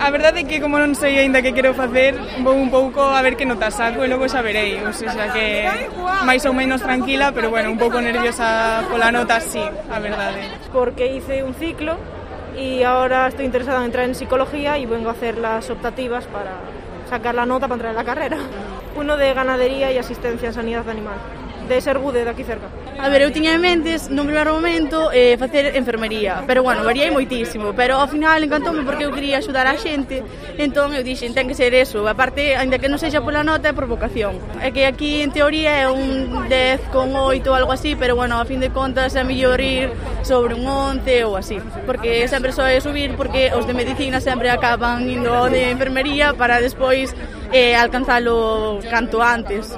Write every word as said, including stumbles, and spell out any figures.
a verdade é que como non sei aínda que quero facer, vou un pouco a ver que nota saco e logo xa verei, o sea que máis ou menos tranquila, pero bueno, un pouco nerviosa pola nota, sí, a verdade. Porque hice un ciclo y ahora estoy interesada en entrar en psicología y vengo a hacer las optativas para sacar la nota para entrar en la carrera. Uno de ganadería y asistencia en sanidad animal, de Sergude, de aquí cerca. A ver, eu tiña en mentes, nun primeiro momento, eh, facer enfermería, pero bueno, variei moitísimo, pero ao final encantoume porque eu quería axudar a xente, entón eu dixen, ten que ser eso, aparte, ainda que non sexa pola nota, é por vocación. É que aquí, en teoría, é un dez con oito ou algo así, pero bueno, a fin de contas é mellor ir sobre un once ou así, porque sempre soe subir, porque os de medicina sempre acaban indo de enfermería para despois eh, alcanzalo canto antes.